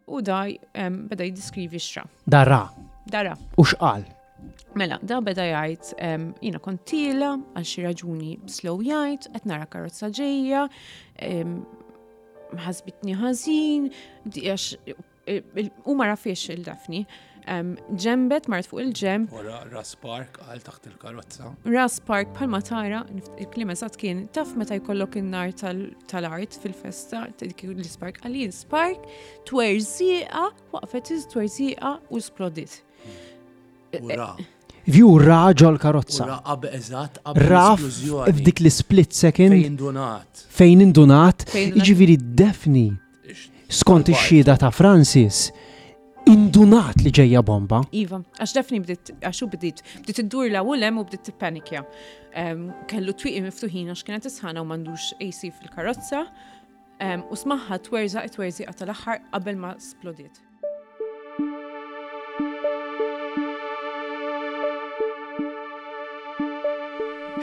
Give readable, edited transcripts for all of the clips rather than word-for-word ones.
U da beda jiddiskrivi x'ra. Da ra. Da ra. U x'qal? Mela, da beda jgħid, jiena kont tiela għal xi raġuni slow jgħid, qed nara karozza ġejja, ħasbitni ħażin, għax u ma rafiex il-Daphne. Ġembet, mart fuq il-ġemb. U ra spark għal taħt il-karozza. Ra spark bħalma tara, il-kliem eżatt kien, taf meta jkollok in-nar tal-art fil-festa, l-spark għalli spark, twerżieqa, waqfet twerżieqa u splodit. U ra. View ra ġol karozza. Ra qabel eżatt qabel Ra f'dik l-split second. Fejn indunat. Fejn indunat. Jiġifieri Daphne Skont ix-xhieda ta' Francis, indunat li ġejja bomba. Iva, għax Daphne bdiet, għax u bdiet, bdiet iddur la u lem u bdiet tippanikja. Kellu twieqi miftuħin għax kienet isħana u m'għandux AC fil-karozza. U smaħħa twerżaq it-twerżiqa tal-aħħar qabel ma splodiet.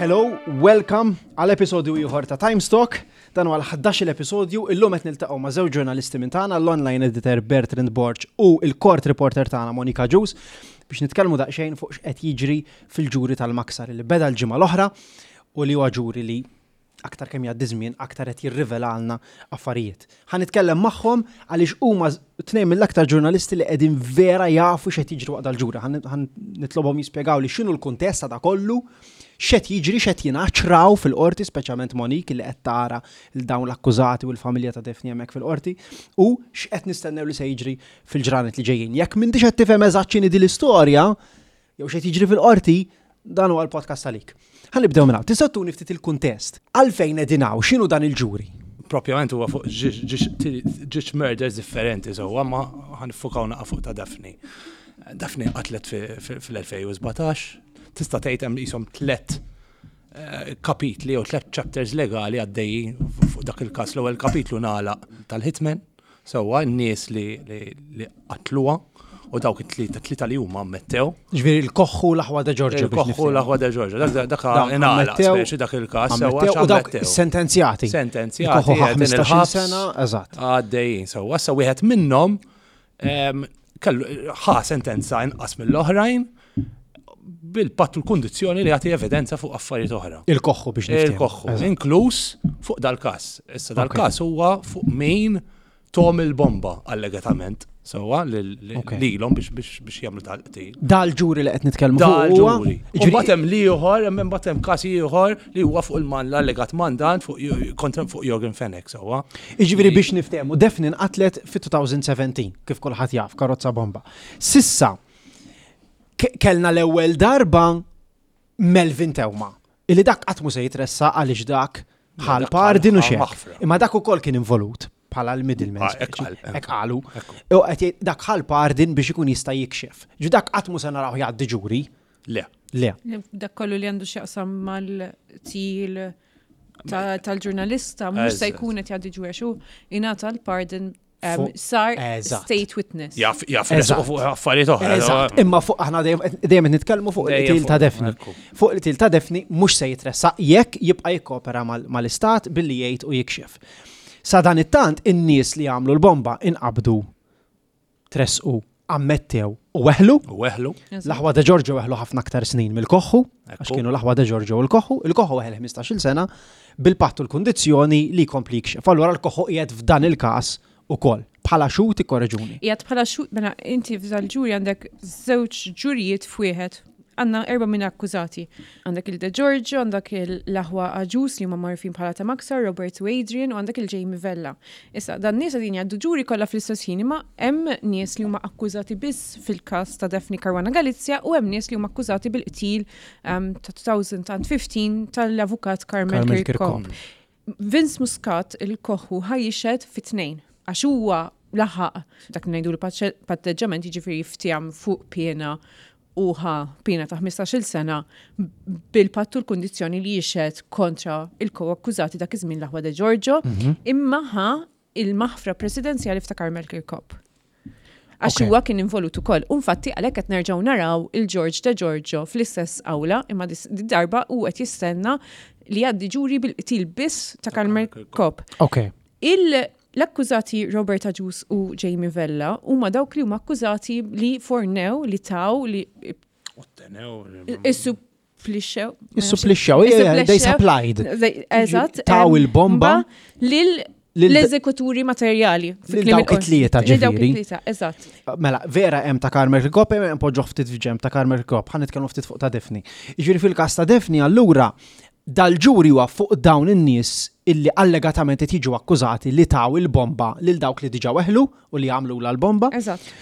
Hello, welcome għal episodju ieħor ta' Times Talk. Dan huwa l-ħdax-il episodju, illum qed niltaqgħu ma' żewġ ġurnalisti minn tagħna, l-online editor Bertrand Borg u l-court reporter tagħna Monica Agius, biex nitkellmu daqsxejn fuq x'qed jiġri fil-ġuri tal-Maksar li beda l-ġimgħa l-oħra u li huwa ġuri li aktar kemm jgħaddi żmien aktar qed jirrivelalna affarijiet. Ħa nitkellem magħhom għaliex huma tnejn mill-aktar ġurnalisti li qegħdin vera jafu x'qed jiġri waqt dal-ġuri. Ħa nitlobhom jispjegawli x'inhu l-kuntest ta' da kollu, x'qed jiġri, x'qed jingħad, x'raw fil-qorti, speċjalment Monique li qed tara lil dawn l-akkużati u l-familja ta' Daphne hemmhekk fil-qorti, u x'qed nistennew li se jiġri fil-ġranet li ġejjin. Jekk m'intix qed tifhem eżatt x'inhi din l-istorja, jew x'qed jiġri fil-qorti, dan huwa l-podcast għalik. Ħa nibdew minn hawn. Tistgħu tuni ftit il-kuntest. Għalfejn qegħdin hawn? X'inhu dan il-ġuri? Propjament huwa fuq ġiex murders differenti sewwa, ma ħa niffukaw naqa' fuq ta' Daphne. Daphne qatlet fil-2017, tista' tgħid hemm qishom tlett eh, kapitli jew tlett chapters legali għaddejjin fuq dak il-każ. L-ewwel kapitlu nagħlaq tal-hitman, Sewwa, n-nies li qatluha u dawk it-tlieta, tlieta li huma ammettew. Ġifieri l-Koħħu l-aħwa De Giorgio. Il-Koħħu l-aħwa De Giorgio. Dak ingħalaq speċi dak il-każ. Sewwa u dawk sentenzjati. Sentenzjati. Il-Koħħu ħa 15 sena, eżatt. Għaddejjin sewwa. Issa wieħed minnhom kellu ħa sentenza inqas mill-oħrajn bil-patt u l-kundizzjoni li jagħti evidenza fuq affarijiet oħra. Il-koħħu biex niftehmu. Il-koħħu, inkluż fuq dal-każ. Issa dal-każ huwa fuq min tom il-bomba allegatament sewwa lilhom biex biex jagħmlu dal-qtil. Dal-ġuri li qed nitkellmu fuq. Dal-ġuri. U mbagħad hemm l-ieħor, hemm imbagħad hemm każ ieħor li huwa fuq l-allegat mandant fuq kontra fuq Yorgen Fenech sewwa. Jiġifieri biex niftehmu, Daphne nqatlet fit-2017, kif kulħadd jaf, karozza bomba. Sissa, kellna l-ewwel darba Melvin Theuma, illi dak qatt mhu se jitressaq għaliex dak ħa l-pardon u xejn. Imma dak ukoll kien involut bħala l-middleman. Ah, hekk qal, Hekk qalu. U qed jgħid dak ħa l-pardon biex ikun jista' jikxef. Ġu dak qatt mhu se narawh jgħaddi ġuri. Le. Le. Dak kollu li għandu x'jaqsam mal-til tal-ġurnalista mhux se jkun qed jgħaddi ġuri għax hu ingħata l-pardon sar state witness. Jaf, jaf, fuq affarijiet oħra. Eżatt, imma fuq aħna dejjem qed nitkellmu fuq il-qtil ta' Daphne. Fuq il-qtil ta' Daphne mhux se jitressaq jekk jibqa' jikkopera mal-istat billi jgħid u jikxef. Sa dan it-tant in-nies li għamlu l-bomba inqabdu tressqu, ammettew u weħlu. U weħlu. L-aħwa De Giorgio weħlu ħafna aktar snin mill-Koħħu, għax kienu l-aħwa De Giorgio u l-Koħħu, il-Koħħu weħel 15-il sena bil-patt u l-kundizzjoni li jkompli jikxef. Allura l-Koħħu qiegħed f'dan il-każ ukoll. Bħala xhud ikkoreġuni. Qiegħed bħala xhud, mela inti f'dal-ġuri għandek żewġ ġurijiet f'wieħed. Għandna erba' minn akkużati. Għandek il-De Giorgio, għandek l-aħwa Agius li huma magħrufin bħala ta' Maksar, Robert u Adrian, u għandek il-Jamie Vella. Issa, dan nies qegħdin jgħaddu ġuri kollha fl-istess ħin, imma hemm nies li huma akkużati biss fil-każ ta' Daphne Caruana Galizia u hemm nies li huma akkużati bil-qtil ehm, ta' 2015 tal-avukat Carmel Kirkop. Vince Muscat il-koħħu ħa jixhed fit-tnejn għax huwa laħaq dak li ngħidu patteġġament jiġifieri fteham fuq piena u ħa piena ta' 15-il sena bil-patt u l-kundizzjoni li jixhed kontra il-ko-akkużati dak iż-żmien l-aħwa De Giorgio, mhm. imma ħa il-maħfra presidenzjali f'ta' Carmel Kirkop. Għax huwa kien involut ukoll. U infatti għalhekk qed nerġgħu naraw il-George De Giorgio fl-istess awla, imma darba u qed jistenna li jgħaddi ġuri bil-qtil biss ta' Carmel Kirkop. Ok. Il- L-akkużati Robert Agius u Jamie Vella huma dawk li huma akkużati li fornew, li taw, li Ottenew. Issuplixxew. Issuplixxew, they supplied. Eżatt. Taw il-bomba. Lil l-eżekuturi materjali. Lil dawk it-tlieta ġifieri. Eżatt. Mela, vera hemm ta' Carmel Kirkop, hemm poġġoh ftit f'ġemp ta' Carmel Kirkop, ħa nitkellmu ftit fuq ta' Daphne. Jiġifieri fil-każ ta' Daphne allura dal-ġuri huwa fuq dawn in-nies illi allegatament qed jiġu akkużati li taw il-bomba lil dawk li diġà weħlu u li għamlulha l-bomba. Eżatt.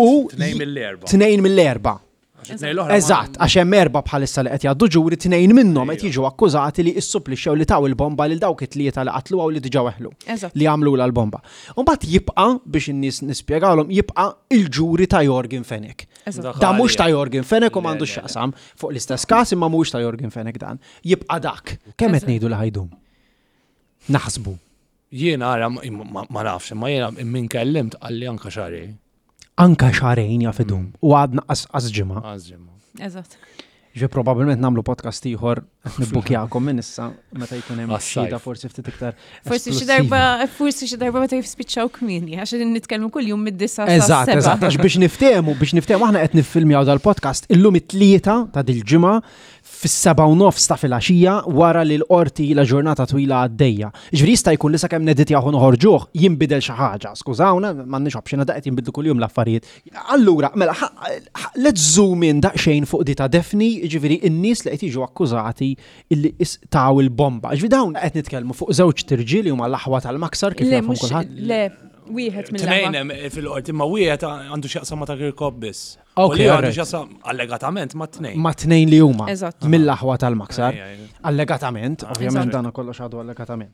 U Tnejn mill-erba'. Tnejn mill-erba'. Eżatt, għax hemm erba' bħalissa li qed jgħaddu ġuri, tnejn minnhom qed jiġu akkużati li issupplixxew li taw il-bomba lil dawk it-tlieta li qatluha u li diġà weħlu. Li għamlulha l-bomba. U mbagħad jibqa' biex in-nies nispjegawlhom jibqa' il-ġuri ta' Yorgen Fenech. Da mhux ta' Yorgen Fenech u m'għandux x'jaqsam fuq l-istess każ imma mhuwiex ta' Yorgen Fenech dan. Jibqa' dak. Kemm qed ngħidu li ħajdum? Naħsbu. Jiena ara ma nafx, imma jiena min kellimt qalli anka xahrejn. Anka xahrejn jaf idum u għadna qas ġimgħa. Qas ġimgħa. Eżatt. Ġi probabbilment nagħmlu podcast ieħor qed nibbukjakom minn issa meta jkun hemm xhieda forsi ftit iktar. Forsi xi darba, forsi xi darba meta jispiċċaw kmieni, għax qegħdin nitkellmu kuljum mid-disa. Eżatt, eżatt, għax biex niftehmu, biex niftehmu aħna qed niffilmjaw dal-podcast illum it-tlieta ta' dil-ġimgħa fis-7:30 ta' filgħaxija wara li l-qorti ilha ġurnata twila għaddejja. Jiġifieri jista' jkun li sakemm neditjah u noħorġuh jinbidel xi ħaġa. Skużawna, m'għandniex option għadha qed jinbidlu kuljum l-affarijiet. Allura, mela, let's zoom in daqsxejn fuq di ta' Daphne, jiġifieri n-nies li qed jiġu akkużati illi taw il-bomba. Jiġifieri dawn qed nitkellmu fuq żewġt irġiel li huma l-aħwa tal-Maksar kif jafhom kulħadd. Le, wieħed mill-aħwa. Tnejn hemm fil-qorti, imma wieħed għandu x'jaqsam ma' ta' Kirkop biss. Ok, U li għandu alright. x'jaqsam allegatament ma' tnejn. Ma' tnejn li huma. Eżatt. Mill-aħwa tal-Maksar. Ej, ej. Allegatament, ovvjament Eżatt. dana kollox għadu allegatament.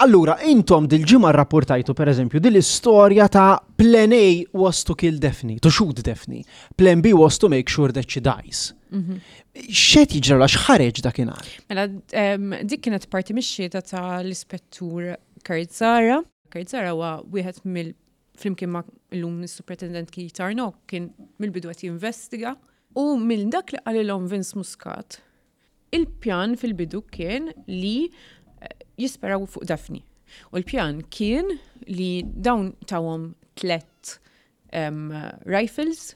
Allura, intom dil-ġimgħa rrapportajtu pereżempju dil-istorja ta' Plan A was to kill Daphne, to shoot Daphne. Plan B was to make sure that she dies. X'qed jiġri x'ħareġ dakinhar? Mela, dik kienet parti mix-xhieda tal-ispettur Kurt Zahra. Kurt Zahra huwa wieħed mill flimkien ma' illum is-Superintendent Keith Arnaud kien mill-bidu qed jinvestiga u minn dak li qalilhom Vince Muscat, il-pjan fil-bidu kien li jisperaw fuq Daphne. U l-pjan kien li dawn tawhom tlett rifles,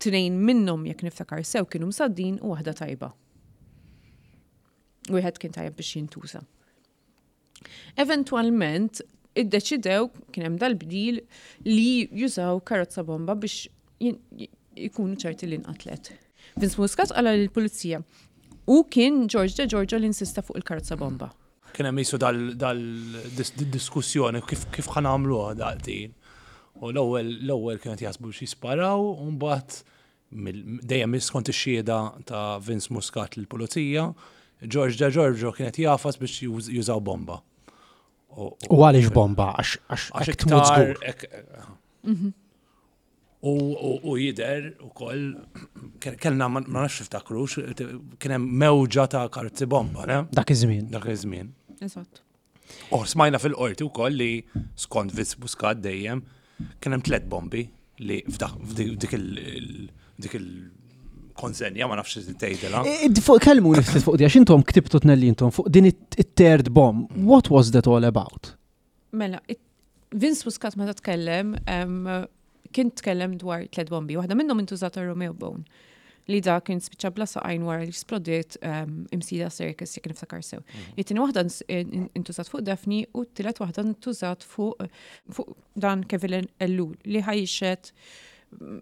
tnejn minnhom jekk niftakar sew kienu msaddin u waħda tajba. Wieħed kien tajjeb biex jintuża. Eventwalment, iddeċidew, kien hemm dal-bdil, li jużaw karozza bomba biex jkunu ċerti li nqatlet. Vince Muscat qala lill-pulizija u kien George De Giorgio li insista fuq il-karozza bomba. Kien hemm qisu dal-diskussjoni kif ħa nagħmluha dal-qtil. U l-ewwel kienu qed jaħsbu biex jisparaw u mbagħad Dejjem skont ix-xhieda ta' Vince Muscat lill-Pulizija, George De Giorgio kien qed jagħfas biex jużaw bomba. U għaliex bomba? Għax hekk tmut żgur. Mhm. U jidher ukoll kellna ma nafx tiftakrux, kien hemm mewġa ta' karozzi bomba, ne? Dak iż-żmien. Dak iż-żmien. Eżatt. U smajna fil-qorti wkoll li skont Vince Muscat dejjem kien hemm tlett bombi li f'dik dik il-konsenja ma nafx tgħidilha. Fuq kelmu ftit fuq di għax intom ktibtu tnelli intom fuq din it-third bomb. What was that all about? Mela, Vince Muscat meta tkellem kien tkellem dwar tliet bombi. Waħda minnhom intużat għal Romeo Bone li da kien spiċċa bla saqajn wara li splodiet imsida circus jekk niftakar sew. Mm. It-tieni waħda intużat fuq Daphne u t-tielet waħda intużat fuq fuq dan Kevin Ellul li ħajxet mm,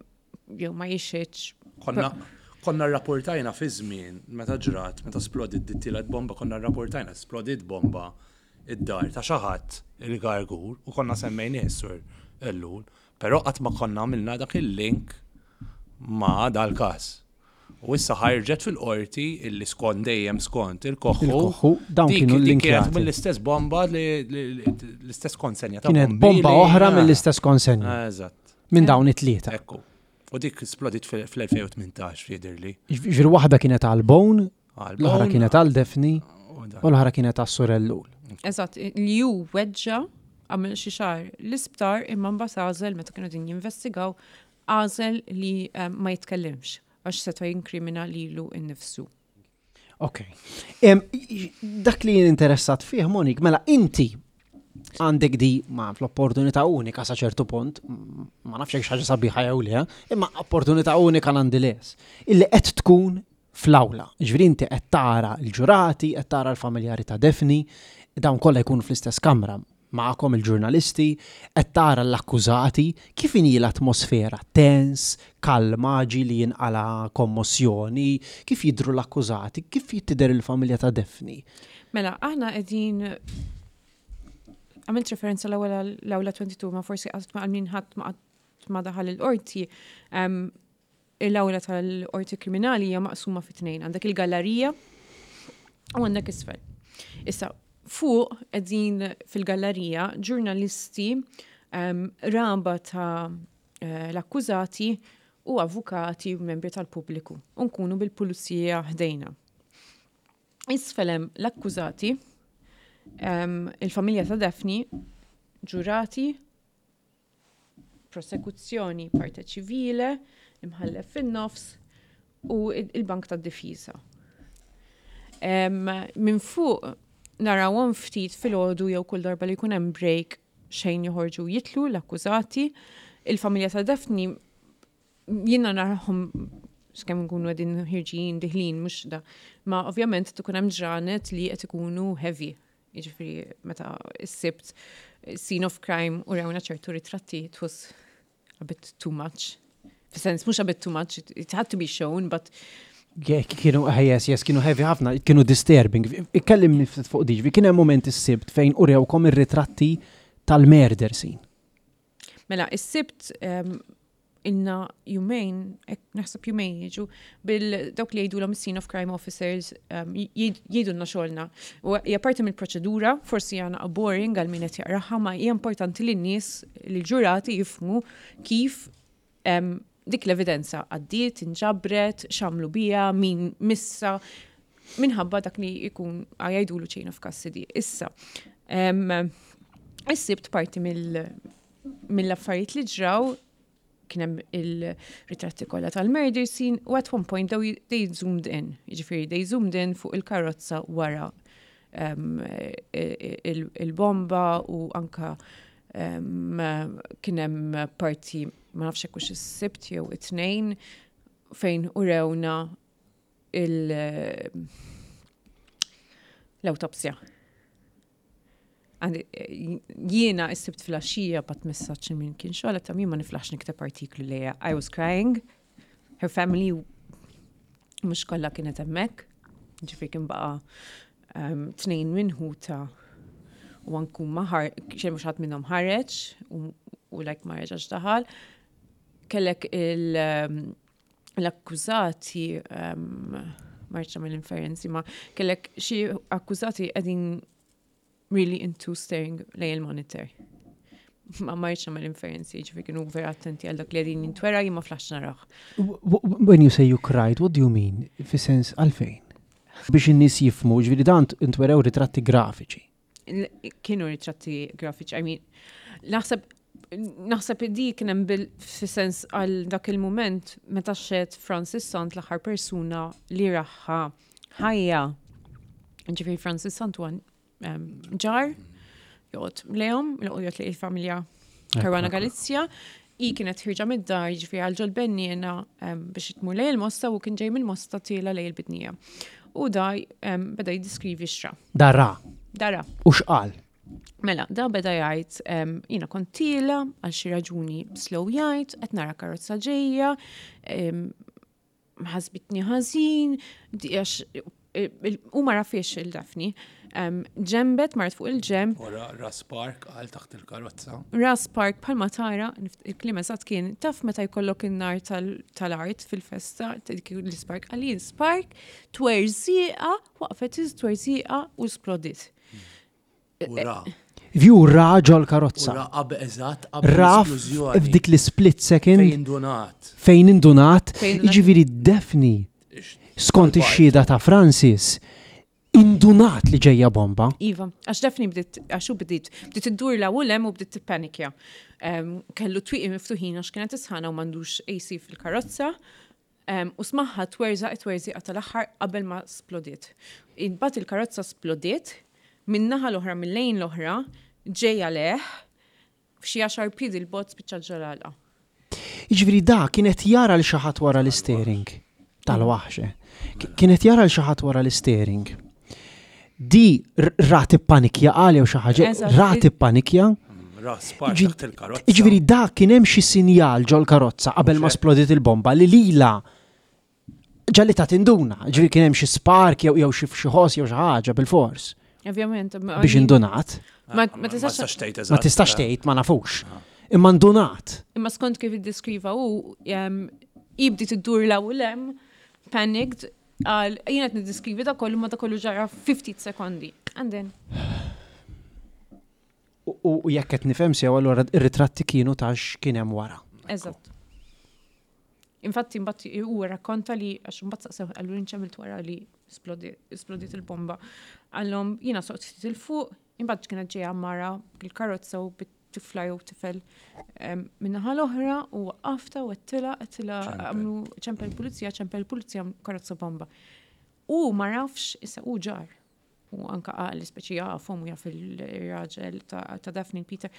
jew ma jixxitx. Konna konna rrapportajna fi żmien meta ġrat, meta splodiet dit-tielet bomba, konna rrapportajna splodiet bomba id-dar ta' xi ħadd il-Gargur u konna semmejnieh is-Sur Ellul, però qatt ma konna għamilna dak il-link ma' dal-każ. U issa ħarġet fil-qorti illi skont dejjem skont il-Koħħu. Il-Koħħu, dawn kienu linkjati. Kienet mill-istess bomba l-istess konsenja ta' Kienet bomba oħra mill-istess konsenja. Eżatt. Minn dawn it-tlieta. Ekku. U dik splodit fl-2018 jidhirli. Ġifieri waħda kienet għal Bone, L-oħra kienet għal Daphne u l-oħra kienet għas Sur Ellul. Eżatt, li hu weġġa' għamel xi xahar l-isptar imma mbagħad għażel meta kienu qegħdin jinvestigaw għażel li eh, ma jitkellimx għax seta' jinkrimina lilu nnifsu. Ok. Dak li jien interessat fih, Monik, mela inti Għandek di ma l-opportunità unika sa ċertu punt, ma nafx hekk xi ħaġa sabiħa jew le, imma opportunità unika nonetheless, illi qed tkun fl-awla. Ġifieri inti qed tara l-ġurati, qed tara l-familjari ta' Daphne, dawn kollha jkunu fl-istess kamra magħkom il-ġurnalisti, qed tara l-akkużati, kif inhi l-atmosfera? Tens, kalma, ġieli jinqala kommossjoni, kif jidhru l-akkużati, kif tidher il-familja ta' Daphne? Mela, aħna qegħdin għamilt referenza l-ewwel l-awla 22 ma forsi qatt ma min ħadd ma qatt ma daħal il-qorti. L-awla tal-qorti kriminali hija maqsuma fi tnejn. Għandek il-gallerija u għandek isfel. Issa, fuq qegħdin fil-gallerija ġurnalisti raba ta' l-akkużati u avukati u membri tal-pubbliku. U nkunu bil-pulizija ħdejna. Isfel hemm l-akkużati, il-familja ta' Daphne, ġurati, prosekuzzjoni, parte ċivile, imħallef fin-nofs u il-bank tad-difiża. Minn fuq narawhom ftit filgħodu jew kull darba li jkun hemm break xejn joħorġu jitlu l-akkużati. Il-familja ta' Daphne jiena narahom skemm nkunu qegħdin ħirġin diħlin mhux da. Ma ovvjament tkun hemm ġranet li qed ikunu heavy. Jiġifieri meta s-Sibt scene of crime u rewna ċertu ritratti it was a bit too much. Fis-sens mhux a bit too much, it had to be shown, but Kienu, yes, kienu heavy ħafna, kienu disturbing. Ikkellimni ftit fuq diġbi, kien hemm moment is-Sibt fejn urewkom ir-ritratti tal-murder scene. Mela, is-Sibt ilna jumejn, naħseb jumejn jiġu, bil dawk li jgħidulhom scene of crime officers jgħidulna xogħolna. U hija parti mill-proċedura, forsi hija naqa' boring għal min qed jaqraha, ma hija importanti li n-nies, li l-ġurati jifhmu kif dik l-evidenza għaddiet, inġabret, x'għamlu biha, min missa, minħabba dak li jkun jgħidulu chain of custody. Issa, is-Sibt parti mill-affarijiet li ġraw kien hemm il-ritratti kollha tal-murder scene u at one point they zoomed in, jiġifieri they zoomed in fuq il-karozza wara il-bomba u anka kien hemm parti ma nafx hekk hux is-Sibt jew it-Tnejn fejn urewna l-awtopsja. Jiena s-Sibt filgħaxija bgħatt messaġġ min kien xogħol ta' min ma niflaħx nikteb artiklu lejha. I was crying. Her family mhux kollha kienet hemmhekk. Ġifieri kien baqa' tnejn minn ħuta u anku ma xejn mhux ħadd minnhom ħareġ u like ma reġax daħal. Kellek l-akkużati ma rridx nagħmel inferenzi ma kellek xi akkużati qegħdin really into staring lejn il-monitor. Ma rridx nagħmel inferenzi, ġifieri kienu vera attenti għal dak li qegħdin jintwera jien ma flaħx narah. When you say you cried, what do you mean? Fi sens għalfejn? Biex in-nies jifhmu, ġifieri dan intwerew ritratti grafiċi. Kienu ritratti grafiċi, I mean, naħseb di kien hemm bil fi sens għal dak il-mument meta xed Francis Sant l-aħħar persuna li raħħa ħajja. Ġifieri Francis Sant huwa ġar joqgħod lejhom, joqgħod lejn il-familja Caruana Galizia. I kienet ħirġa mid-dar, ġifieri għal ġol benniena biex tmur lejn il-Mosta u kien ġej mill-Mosta tiela lejn il-Bidnija. U da beda jiddiskrivi xra. Dara. Dara. U x'qal? Mela, da beda jgħid, jiena kont tiela għal xi raġuni slow jgħid, qed nara karozza ġejja, ħasbitni ħażin, għax u ma rafiex il-Daphne. Ġembet, marret fuq il-ġemb. Wara Ras Park għal taħt il-karozza. Ras Park bħalma tara, il-kliem eżatt kien, taf meta jkollok in-nar tal-art fil-festa, l-spark għalin spark, twerżieqa, waqfet twerżieqa u splodit. U ra. View ra ġol karozza. U ra qabel eżatt qabel Ra l-esplużjoni. f'dik l-split second. Fejn indunat. Fejn indunat. Fejn indunat. Jiġifieri Daphne, skont ix-xhieda ta' Francis, indunat li ġejja bomba. Iva, għax Daphne bdiet, għax hu bdiet, bdiet iddur la u lem u bdiet tippanikja. Kellu twieqi miftuħin għax kienet isħana u m'għandux AC fil-karozza. U smaħħa twerżaq it-twerżiqa tal-aħħar qabel ma splodiet. Imbagħad il-karozza splodiet, min-naħa l-oħra, mill-lejn l-oħra, ġejja lejh, f'xi għaxar piedi 'l bogħod spiċċat ġol-għalqa. Jiġifieri da kien qed jara 'l xi ħadd wara l-isteering. Tal-waħx, eh. Kien qed jara 'l xi ħadd wara l-isteering. Di rat ippanikja qal jew xi ħaġa, rat ippanikja. Ra spar taħt il-karozza. Jiġifieri da kien hemm xi sinjal ġol-karozza qabel ma splodiet il-bomba li lilha ġalli ta' tinduna, ġifieri kien hemm xi spark jew jew xi xi ħoss jew xi ħaġa bilfors. Ovvjament. Biex indunat. Ma tistax tgħid Ma tistax tgħid ma nafux. Imma ndunat. Imma skont kif iddeskriva hu jibdi tiddur 'l hawn u 'l hemm, panicked, qal jien qed niddeskrivi da kollu ma da kollu ġara 50 sekondi. And then. U jekk qed nifhem sew allura ir-ritratti kienu ta' x'kien hemm wara. Eżatt. Infatti mbagħad huwa rakkonta li għax imbagħad saqsew qallu int x'għamilt wara li splodiet il-bomba. Qallhom jiena soqt ftit 'il fuq, imbagħad kienet ġejja mara bil-karozza u bit-tifla jew tifel min-naħa l-oħra u waqqafta u għedtilha għedtilha għamlu ċempel pulizija, ċempel pulizija karozza bomba. U ma rafx issa hu ġar. U anka qal speċi jafhom u jaf il-raġel ta' Daphne Peter.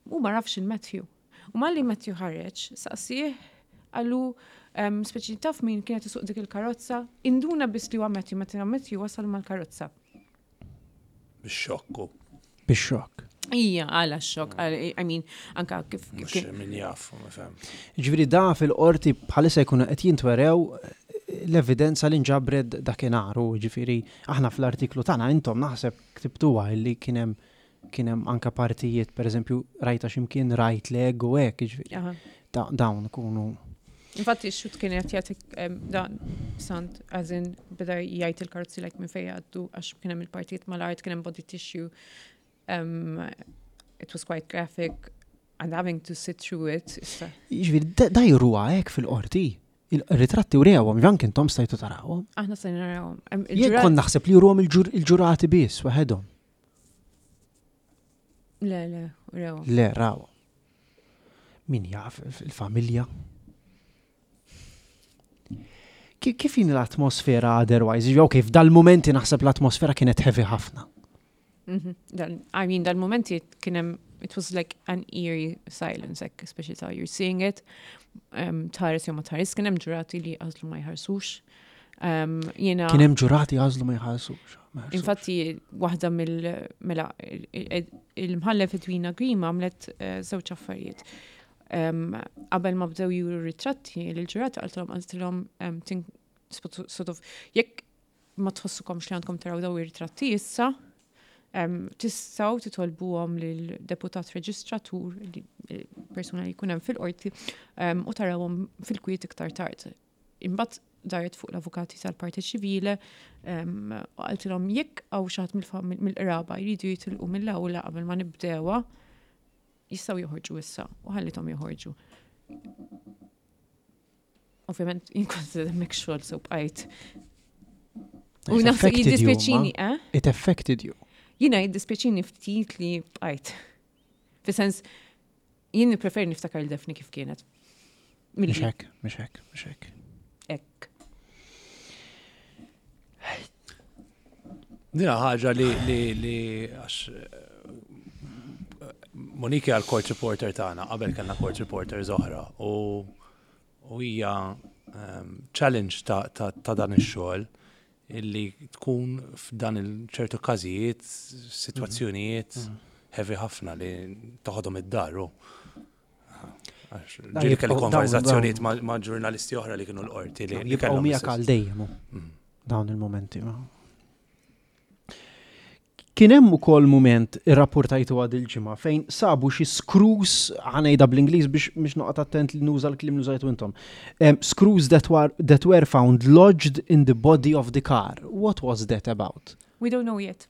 Hu ma rafx il-Matthew. U malli Matthew ħareġ, saqsieh, qallu, speċi taf min kienet isuq dik il-karozza, induna biss li huwa Matthew meta Matthew wasal mal-karozza. Bix-xokk hu. Bix-xokk. Ija, għala x-xokk, I mean, anka kif. Mhux min jaf, ma fem. Ġifieri da fil-qorti bħalissa jkunu qed jintwerew l-evidenza li nġabret dakinhar u ġifieri aħna fl-artiklu tagħna intom naħseb ktibtuha illi kien hemm Kien hemm anke partijiet, pereżempju, rajta x'imkien right leg u hekk, jiġifieri. Dawn ikunu. Infatti x-xut kien qed jagħti dan sant as in beda jgħid il-karozzi like minn fejn jgħaddu għax kien hemm il-partijiet mal-art, kien hemm body tissue. It was quite graphic and having to sit through it. Jiġifieri da juruha hekk fil-qorti. Il-ritratti urewhom, anke intom stajtu tarawhom. Aħna stajna narawhom. Jien kont naħseb li juruhom il-ġurati biss waħedhom. Le, le, raw. Le, raw. Min jaf il-familja. Kif jien l-atmosfera otherwise? Jew kif dal-momenti naħseb l-atmosfera kienet heavy ħafna. Mhm. I mean, dal-momenti kien hemm it was like an eerie silence, like, especially how you're seeing it. Um, tħares jew ma tħares, kien hemm ġurati li għażlu ma jħarsux. Um, jena. Kien hemm ġurati għażlu ma jħarsux. Infatti, waħda mill mela il-mħallef Edwina Grima għamlet eh, żewġ affarijiet. Qabel ma bdew juru ritratti l-ġurati qaltilhom qaltilhom sort of jekk ma tħossukomx li għandkom taraw daw ir-ritratti issa, tistgħu titolbuhom lil deputat reġistratur, persuna li jkun hemm fil-qorti, u tarawhom fil-kwiet iktar tard. Imbagħad daret fuq l-avukati tal-parti ċivile u qaltilhom jekk hawn xi ħadd mill-qraba jridu jitilqu mill-awla qabel ma nibdewha, jistgħu joħorġu issa u ħallithom joħorġu. Ovvjament, jien kont hemmhekk xogħol so bqajt. U naħseb jiddispjaċini, eh? It affected you. Jiena jiddispjaċini ftit li bqajt. Fi sens, jien nippreferi niftakar il-Daphne kif kienet. Mhux hekk, mhux hekk, mhux hekk. Hekk. Dina ħaġa li li li għax eh, Monique għal court reporter tagħna, qabel kellna court reporter oħra u u hija ehm, challenge ta', ta, ta dan ix-xogħol illi tkun f'dan il-ċertu każijiet, sitwazzjonijiet mhm. heavy ħafna li toħodhom id-dar. Ġieli kelli konverzazzjonijiet ma' ġurnalisti oħra li kienu l-qorti li jibqgħu miegħek għal dejjem mhm. dawn il-momenti. Kien hemm ukoll mument irrapportajtu għad il-ġimgħa fejn sabu xi screws, ħa ngħidha bl-Ingliż biex biex noqgħod attent li nuża l-kliem li użajtu intom. Um, screws that were, that were found lodged in the body of the car. What was that about? We don't know yet.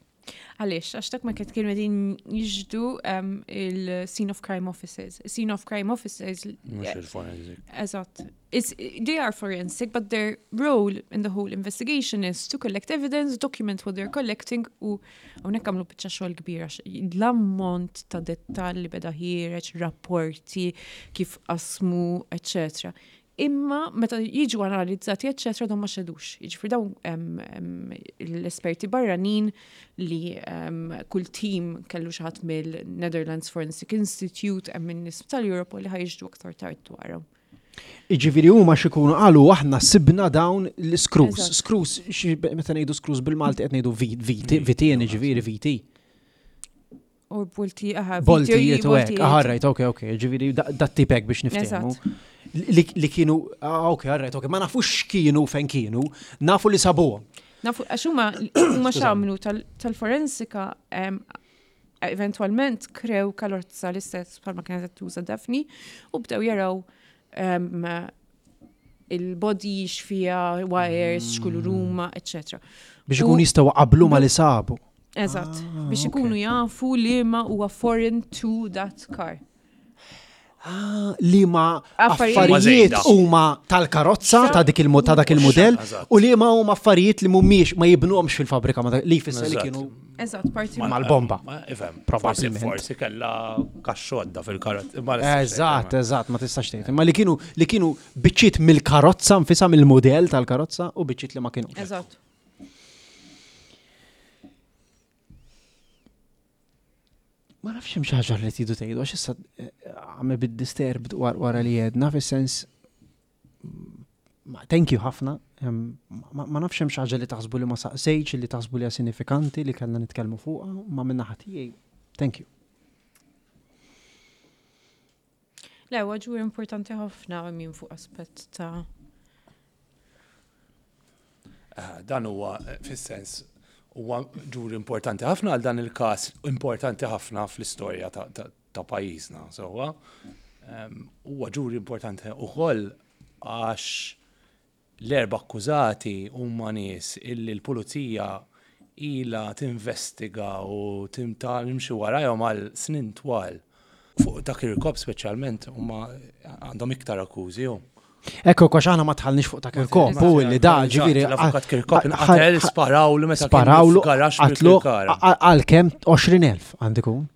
Għaliex, għax dak ma kiet kienu qegħdin jiġdu um, il-scene of crime officers. Scene of crime officers. Mhux il-forensic. Eżatt. It's, they are forensic, but their role in the whole investigation is to collect evidence, document what they're collecting u hawnhekk għamlu biċċa xogħol kbira l-ammont ta' dettalji beda ħiereġ, rapporti, kif qasmu, etc. Imma meta jiġu analizzati eċċetera dawn ma xedux. Jiġifieri dawn l-esperti barranin li kull tim kellu xi ħadd mill-Netherlands Forensic Institute hemm min-nies tal-Europol li ħa jixhdu aktar tard dwarhom. Jiġifieri huma x'ikunu qalu aħna sibna dawn l-screws. Screws, meta ngħidu screws bil-Malti qed ngħidu vitien, jiġifieri viti. U bolti, aha. Boltijiet u hekk, aha, right, ok, ok, ġifieri dat tip hekk biex niftehmu. Li kienu, ah, ok, right, ok, ma nafux x'kienu fejn kienu, nafu li sabuhom. Nafu, għax huma huma x'għamlu tal-forensika eventualment krew karozza l-istess bħalma kienet qed tuża Daphne u bdew jaraw il-body x'fiha, wires, x'kulur huma, eccetera. Biex ikun jistgħu qablu ma li sabu. Eżatt, ah, biex ikunu jafu li ma huwa foreign to that car. Ah, li ma affarijiet huma tal-karozza ta' dik il ta' dak il-mudell u li ma huma affarijiet li mhumiex ma jibnuhomx fil-fabrika ma li jfisser li kienu Eżatt, parti mal-bomba. Ifhem, probabbilment. Forsi kella kaxxodda fil-karozza. Eżatt, eżatt, ma tistax tgħid. Imma li kienu li kienu biċċiet mill-karozza nfisha mill-mudell tal-karozza u biċċiet li ma kienux. Eżatt. Ma nafx hemm xi ħaġa li tridu tgħidu għax issa eh, għamel bid-disturbed wara li jedna fis-sens thank you ħafna. Ma nafx hemm xi ħaġa li taħsbu li ma saqsejtx li taħsbu li hija sinifikanti li kellna nitkellmu fuqha, ma minna ħadd tiegħi. Thank you. Le, huwa ġur importanti ħafna minn fuq aspett ta' eh, Dan huwa eh, fis-sens huwa ġur importanti ħafna għal dan il-każ importanti ħafna fl-istorja ta' pajjiżna, sewwa. Ehm, huwa ġuri importanti ukoll għax L-erba' akkużati huma nies illi l-Pulizija ilha tinvestiga u timxi warajhom għal snin twal. Fuq ta' Kirkop speċjalment huma għandhom iktar akkużi hu. Ekku, għax aħna ma tħallniex fuq ta' Kirkop, u li da ġifieri. L-avukat Kirkop inqatel, sparawlu meta sparawlu qatlu għal kemm 20,000 għandu jkun.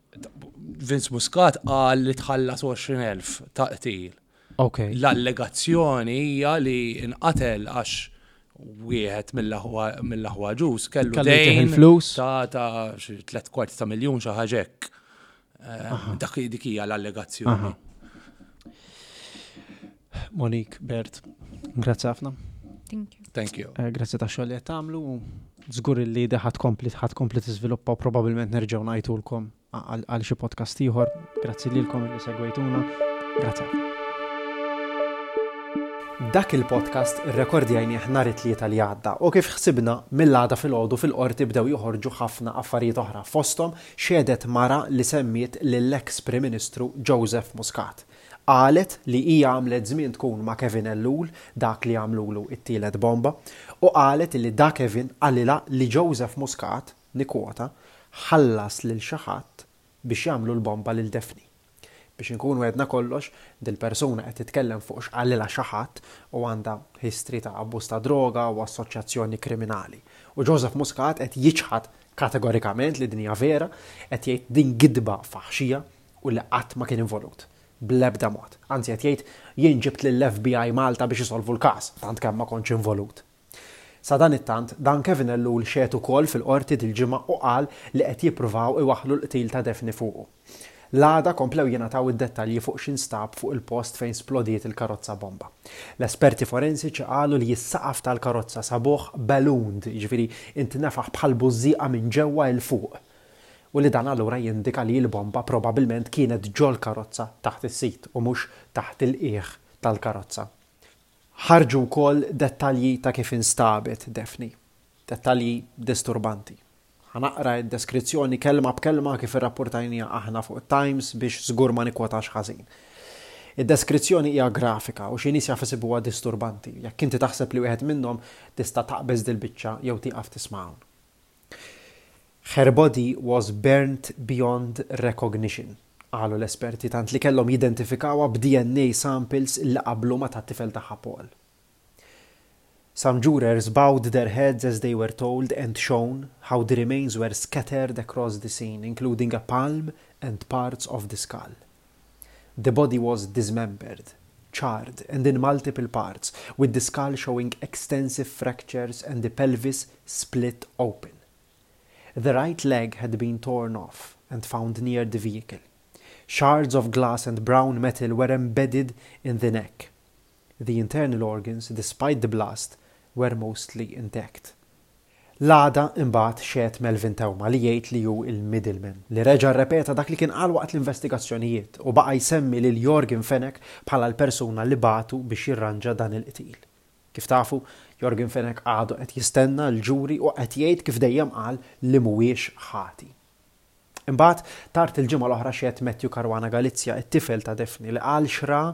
Vince Muscat qal li tħallas 20,000 ta' qtil. Okay. L-allegazzjoni hija li nqatel għax wieħed mill-aħwa ġus kellu dejn il-flus ta' ta' xi tlet kwarti ta' miljun xi ħaġa hekk. Eh, dak dik hija l-allegazzjoni. Monique, Bert, grazzi ħafna. Thank you. Thank you. Eh, grazzi ta' xogħol li qed tagħmlu. Żgur li ħadd kompli ħadd kompli tiżviluppa u probabbilment nerġgħu ngħidulkom għal xi podcast ieħor. Grazzi lilkom li segwejtuna. Grazzi. Dak il-podcast irrekordjajnieh nhar it-Tlieta li għadda u kif ħsibna mill-għada filgħodu fil-Qorti bdew joħorġu ħafna affarijiet oħra fosthom xehdet mara li semmiet lill-eks Prim Ministru Joseph Muscat. Qalet li hija għamlet żmien tkun ma' Kevin Ellul, dak li għamlulu t-tielet bomba, u qalet li da Kevin qalilha li Joseph Muscat, nikkwota, ħallas lil xi ħadd biex jagħmlu l-bomba lil Daphne. Biex inkunu għedna kollox, dil-persuna qed titkellem fuq x'qalilha xi ħadd u għandha history ta' abbuż ta' droga u assoċjazzjoni kriminali. U Joseph Muscat qed jiċħad kategorikament li din hija vera, qed jgħid din gidba faħxija u li qatt ma kien involut. Bl-ebda mod. Anzi qed jgħid jien ġibt lill-FBI Malta biex isolvu l-każ, tant kemm ma kontx involut. Sadanittant, dan Kevin Ellul xehed ukoll fil-Qorti dil-ġimgħa u qal li qed jippruvaw iwaħħlu l-qtil ta' Daphne fuqu. L-għada komplew jingħataw id-dettalji fuq x'instab fuq il-post fejn splodiet il-karozza bomba. L-esperti forensiċi qalu li s-saqaf tal-karozza sabuh ballooned, jiġifieri intnefaħ bħal bużżieqa minn ġewwa 'il fuq, u li dan allura jindika li l-bomba probabilment kienet ġol-karozza taħt is-sit u mhux taħt il-qiegħ tal-karozza. Ħarġu wkoll dettalji ta' kif instabet Daphne. Dettalji disturbanti. Ħa naqra d-deskrizzjoni kelma b'kelma kif irrappurtajniha aħna fuq it-Times biex żgur ma nikkwotax ħażin. Id-deskrizzjoni hija grafika u xi nies jaf isibuha disturbanti. Jekk inti taħseb li wieħed minnhom tista' taqbeż dil-biċċa jew tieqaf tisma' hawn. Her body was burnt beyond recognition, qalu l-esperti tant li kellhom jidentifikawha b'DNA samples li qablu ma' tat-tifel tagħha Paul. Some jurors bowed their heads as they were told and shown how the remains were scattered across the scene, including a palm and parts of the skull. The body was dismembered. charred and in multiple parts, with the skull showing extensive fractures and the pelvis split open. The right leg had been torn off and found near the vehicle. Shards of glass and brown metal were embedded in the neck. The internal organs, despite the blast, were mostly intact. L-għada imbagħad xehed Melvin Theuma li jgħid li hu l-middleman, li reġa' rrepeta dak li kien qal waqt l-investigazzjonijiet u baqa' jsemmi lil Yorgen Fenech bħala l-persuna li bagħtu biex jirranġa dan il-qtil. Kif tafu, Yorgen Fenech għadu qed jistenna l-ġuri u qed jgħid kif dejjem qal li mhuwiex ħati. Imbagħad, tard il-ġimgħa l-oħra xehed Matthew Caruana Galizia, it-tifel ta' Daphne, li qal x'ra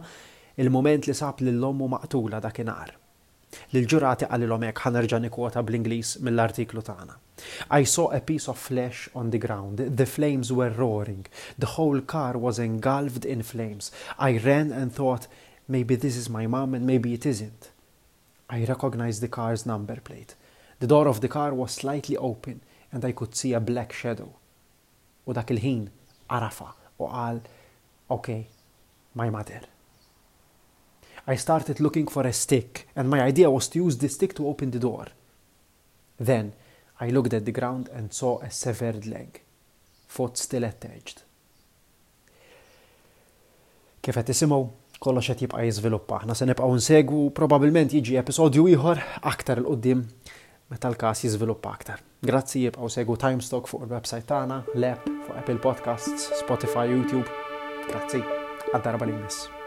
l-mument li sab lil ommu maqtula dakinhar. Lill-ġurati qalilhom hekk, ħa nerġa' nikkwota bl-Ingliż mill-artiklu tagħna. I saw a piece of flesh on the ground, the flames were roaring, the whole car was engulfed in flames. I ran and thought, maybe this is my mum and maybe it isn't. I recognized the car's number plate. The door of the car was slightly open and I could see a black shadow. U dak il-ħin għarafha u qal, okay, my mother. I started looking for a stick and my idea was to use the stick to open the door. Then I looked at the ground and saw a severed leg, foot still attached. Kif qed tisimgħu, kollox qed jibqa' jiżviluppa. Aħna se nibqgħu nsegwu u probabbilment jiġi episodju ieħor aktar 'il quddiem meta l-każ jiżviluppa aktar. Grazzi, ibqgħu segwu Timestock fuq il-website tagħna, l-app, fuq Apple Podcasts, Spotify, YouTube. Grazzi, għad-darba li jmiss.